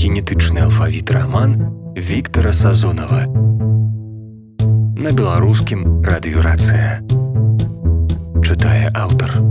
генетычны алфавіт раман Віктара Сазонава. На беларускім радыёрацыя. Чытае аўтар.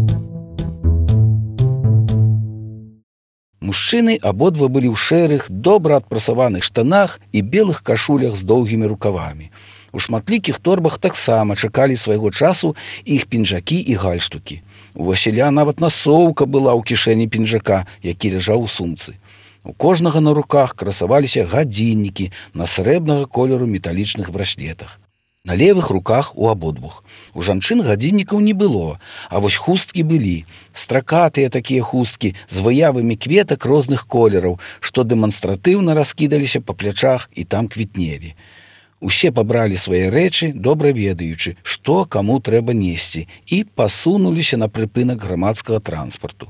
Мужчыны абодва былі ў шэрых, добра адпрасаваных штанах і белых кашулях з доўгімі рукавамі. У шматлікіх торбах таксама чакалі свайго часу іх пінжакі і гальштукі. У Васіля нават насоўка была ў кішэні пінжака, які ляжаў у сумцы. У кожнага на руках красаваліся гадзіннікі на срэбнага колеру металічных браслетах. На левых руках у абодвух. У жанчын гадзіннікаў не было, а вось хусткі былі. Стракатыя такія хусткі з выявамі кветак розных колераў, што дэманстратыўна раскідаліся па плячах і там квітнелі. Усе пабралі свае рэчы, добра ведаючы, што каму трэба несці, і пасунуліся на прыпынак грамадскага транспарту.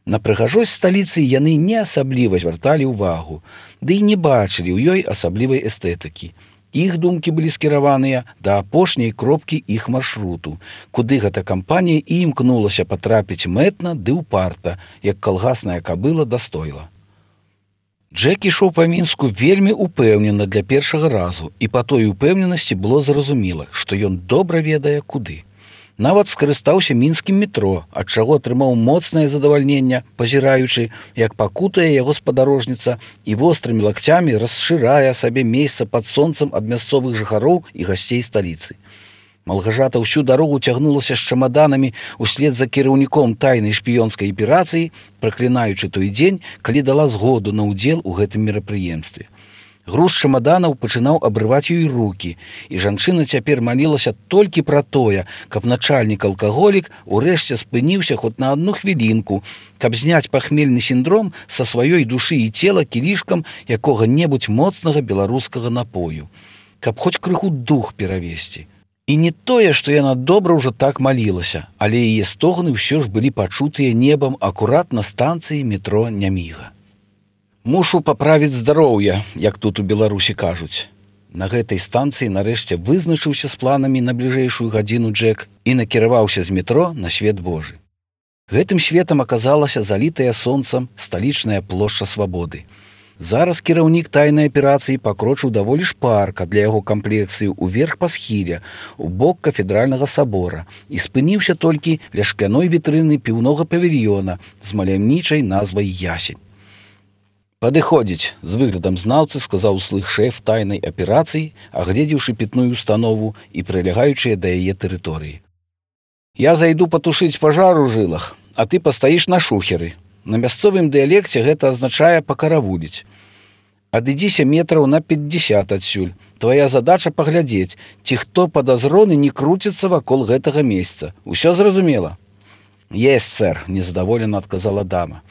На прыгажосць сталіцы яны не асабліва звярталі ўвагу, ды і не бачылі ў ёй асаблівай эстэтыкі. Іх думкі былі скіраваныя да апошняй кропкі іх маршруту, куды гэта кампанія і імкнулася патрапіць мэтна ды ўпарта, як калгасная кабыла да стойла. Джек ішоў па Мінску вельмі упэўнена для першага разу, і па той упэўненасці было зразумела, што ён добра ведае куды. Нават скарыстаўся мінскім метро, ад чаго атрымаў моцнае задавальненне, пазіраючы, як пакутае яго спадарожніца і вострымі лакцямі расшырае сабе месца пад сонцам ад мясцовых жыхароў і гасцей сталіцы. Малгажата ўсю дарогу цягнулася з чамаданамі услед за кіраўніком тайнай шпіёнскай аперацыі, праклінаючы той дзень, калі дала згоду на ўдзел у гэтым мерапрыемстве. Груз чамаданаў пачынаў абрываць ёй рукі, і жанчына цяпер малілася толькі пра тое, каб начальнік-алкаголік урэшце спыніўся хоць на адну хвілінку, каб зняць пахмельны сіндром са сваёй душы і цела кілішкам якога-небудзь моцнага беларускага напою, каб хоць крыху дух перавесці. І не тое, што яна добра ўжо так малілася, але яе стогны ўсё ж былі пачутыя небам акурат на станцыі метро Няміга. Мушу паправіць здароўе, як тут у Беларусі кажуць. На гэтай станцыі нарэшце вызначыўся з планамі на бліжэйшую гадзіну Джек і накіраваўся з метро на свет Божы. Гэтым светам аказалася залітая сонцам сталічная плошча Свабоды. Зараз кіраўнік тайнай аперацыі пакрочыў даволі шпарка для яго камплекцыі ўверх па схіле, у бок кафедральнага сабора, і спыніўся толькі ля шкляной вітрыны піўнога павільёна з маляўнічай назвай «Ясень». «Падыходзіць», з выглядам знаўцы сказаў услых шэф тайнай аперацыі, агледзеўшы пітную установу і прылягаючыя да яе тэрыторыі. «Я зайду патушыць пажар у жылах, а ты пастаіш на шухеры. На мясцовым дыялекце гэта азначае пакаравуліць. Адыдзіся метраў на 50 адсюль. Твая задача паглядзець, ці хто падазроны не круціцца вакол гэтага месца. Усё зразумела?» «Есть, сэр», — незадаволена адказала дама.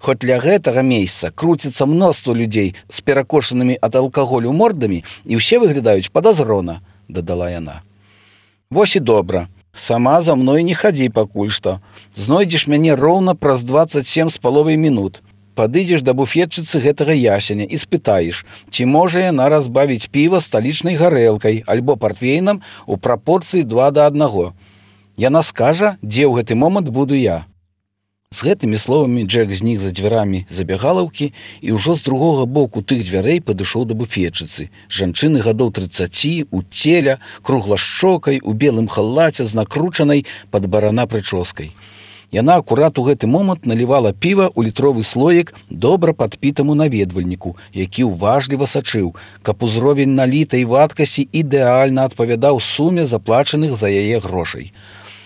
«Хоць для гэтага месяца круціцца мноства людзей з перакошанымі ад алкаголю мордамі, і ўсе выглядаюць падазрона», — дадала яна. «Вось і добра. Сама за мной не хадзі пакуль што. Знойдзеш мяне роўна праз 27,5 минут. Падыдзеш да буфетчыцы гэтага ясеня і спытаеш, ці можа яна разбавіць піва сталічнай гарэлкай альбо партвейнам у прапорцыі 2:1. Яна скажа, дзе ў гэты момант буду я». З гэтымі словамі Джек знік за дзвярамі забягалаўкі і ўжо з другога боку тых дзвярэй падышоў да буфетчыцы. Жанчыны гадоў 30, у целя, круглашчокай, у белым халаце з накручанай пад барана прычоскай. Яна акурат у гэты момант налівала піва ў літровы слоік добра падпітаму наведвальніку, які ўважліва сачыў, каб узровень налітай вадкасці ідэальна адпавядаў суме заплачаных за яе грошай.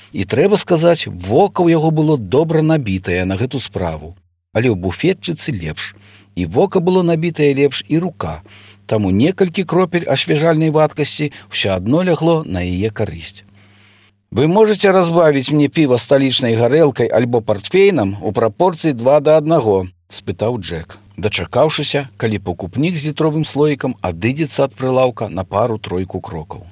І трэба сказаць, вока ў яго было добра набітае на гэту справу. Але ў буфетчыцы лепш. І вока было набітае лепш, і рука. Таму некалькі кропель асвежальнай вадкасці ўсё адно лягло на яе карысць. «Вы можаце разбавіць мне піва сталічнай гарэлкай альбо партфейнам у прапорцыі 2:1, — спытаў Джек, дачакаўшыся, калі пакупнік з літровым слоікам адыдзецца ад прылаўка на пару-тройку крокаў.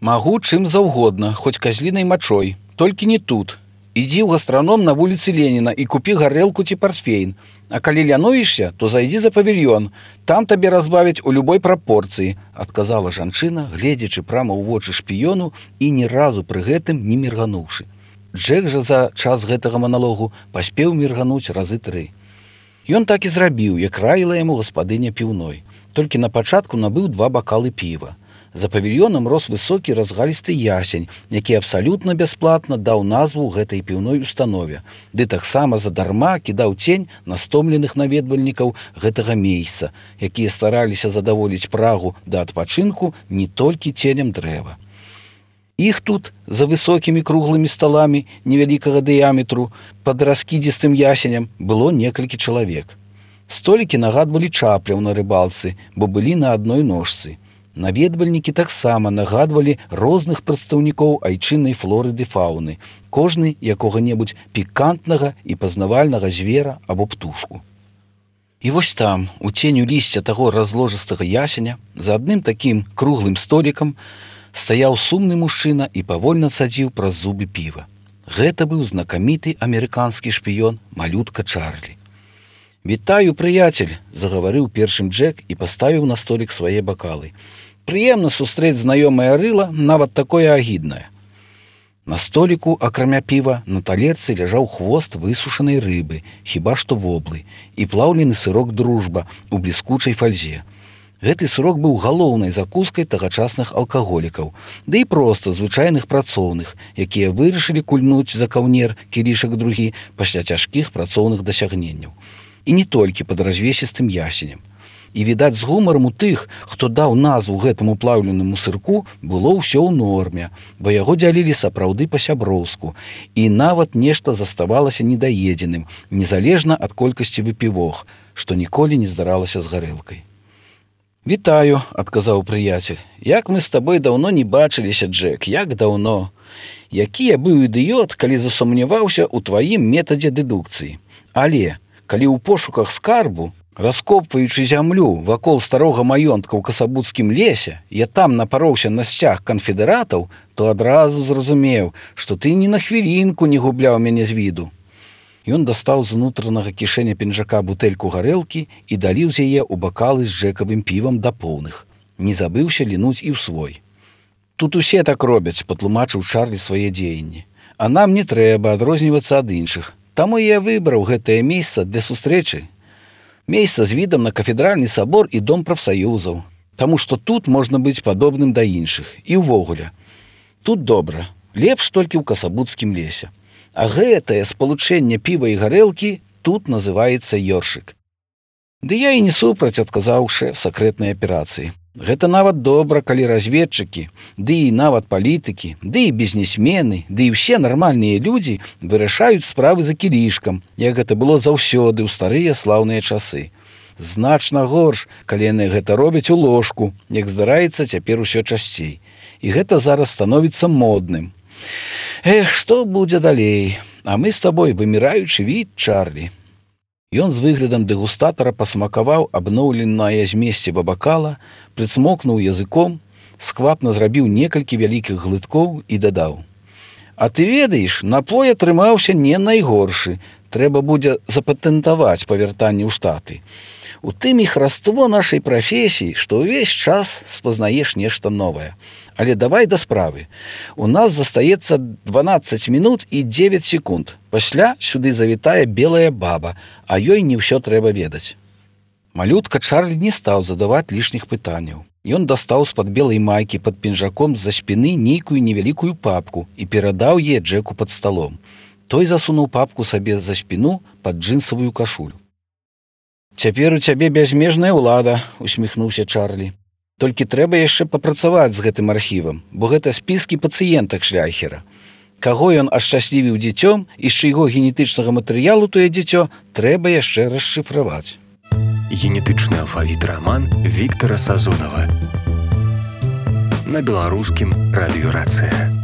«Магу чым заўгодна, хоць казлінай мачой, толькі не тут. Ідзі ў гастраном на вуліцы Леніна і купі гарэлку ці партфейн. А калі лянуешся, то зайдзі за павільён. Там табе разбавяць у любой прапорцыі», — адказала жанчына, гледзячы прама ў вочы шпіёну і ні разу пры гэтым не міргануўшы. Джек жа за час гэтага маналогу паспеў міргануць разы 3. Ён так і зрабіў, як раіла яму гаспадыня піўной. Толькі на пачатку набыў 2 бакалы піва. За павільёнам рос высокі разгалісты ясень, які абсалютна бясплатна даў назву гэтай піўной установе, ды таксама задарма кідаў цень на стомленых наведвальнікаў гэтага месца, якія стараліся задаволіць прагу да адпачынку не толькі ценем дрэва. Іх тут, за высокімі круглымі сталамі невялікага дыяметру, пад раскідзістым ясенем было некалькі чалавек. Столікі нагадвалі чапляў на рыбалцы, бо былі на адной ножцы. Наведвальнікі таксама нагадвалі розных прадстаўнікоў айчыннай флоры ды фауны, кожны якога-небудзь пікантнага і пазнавальнага звера або птушку. І вось там, у ценю лісця таго разложыстага ясеня, за адным такім круглым столікам стаяў сумны мужчына і павольна цадзіў праз зубы піва. Гэта быў знакаміты амерыканскі шпіён малютка Чарлі. «Вітаю, прыяцель!» – загаварыў першым Джек і паставіў на столік свае бакалы. «Прыемна сустрэць знаёмае рыла, нават такое агіднае». На століку, акрамя піва, на талерцы ляжаў хвост высушанай рыбы, хіба што воблы, і плаўлены сырок «Дружба» у бліскучай фальзе. Гэты сырок быў галоўнай закускай тагачасных алкаголікаў, ды і проста звычайных працоўных, якія вырашылі кульнуць за каўнер кілішак другі пасля цяжкіх працоўных дасягненняў. І не толькі пад развесістым ясенем. І, відаць, з гумарам у тых, хто даў назву гэтаму плаўленаму сырку, было ўсё ў норме, бо яго дзялілі сапраўды па-сяброўску, і нават нешта заставалася недаедзеным, незалежна ад колькасці выпівох, што ніколі не здаралася з гарэлкай. «Вітаю», – адказаў прыяцель. «Як мы з табой даўно не бачыліся, Джек, як даўно. Які я быў ідыёт, калі засумняваўся ў тваім метадзе дэдукцыі. Але калі ў пошуках скарбу, раскопваючы зямлю вакол старога маёнтка ў Касабуцкім лесе, я там напароўся на сцяг канфедэратаў, то адразу зразумеў, што ты ні на хвілінку не губляў мяне з віду». Ён дастаў з унутранага кішэня пінжака бутэльку гарэлкі і даліў з яе ў бакалы з джэкавым півам да поўных. Не забыўся лінуць і ў свой. «Тут усе так робяць», – патлумачыў Чарлі свае дзеянні. «А нам не трэба адрознівацца ад іншых. Таму я выбраў гэтае месца для сустрэчы. Месца з відам на кафедральны сабор і дом прафсаюзаў. Таму што тут можна быць падобным да іншых. І ўвогуле. Тут добра. Лепш толькі ў Касабуцкім лесе. А гэтае спалучэнне піва і гарэлкі тут называецца ёршык». «Ды я і не супраць», – адказаў шэф сакрэтнай аперацыі. «Гэта нават добра, калі разведчыкі, ды і нават палітыкі, ды і бізнесмены, ды і ўсе нармальныя людзі вырашаюць справы за кілішкам, як гэта было заўсёды ў старыя слаўныя часы. Значна горш, калі яны гэта робяць у ложку, як здараецца цяпер усё часцей. І гэта зараз становіцца модным. Эх, што будзе далей? А мы з табой выміраючы від, Чарлі». Ён з выглядам дэгустатара пасмакаваў абноўленае змесціва бакала, прыцмокнуў языком, сквапна зрабіў некалькі вялікіх глыткоў і дадаў: «А ты ведаеш, напой атрымаўся не найгоршы. Трэба будзе запатэнтаваць па вяртанні ў Штаты. У тым і хараство нашай прафесіі, што ўвесь час спазнаеш нешта новае. Але давай да справы. У нас застаецца 12 мінут і 9 секунд. Пасля сюды завітае белая баба, а ёй не ўсё трэба ведаць». Малютка Чарлі не стаў задаваць лішніх пытанняў. Ён дастаў з-пад белай майкі пад пінжаком з-за спіны нейкую невялікую папку і перадаў яе Джеку пад сталом. Той засунуў папку сабе за спіну пад джинсавую кашулю. «Цяпер у цябе бязмежная ўлада», – усміхнуўся Чарлі. «Толькі трэба яшчэ папрацаваць з гэтым архівам, бо гэта спіскі пацыентак Шляхера. Каго ён ашчаслівіў дзіцём і з чыйго генетычнага матэрыялу тое дзіцё, трэба яшчэ расшыфраваць». Генетычны алфавіт раман Віктара Сазонава. На беларускім радыёрацыя.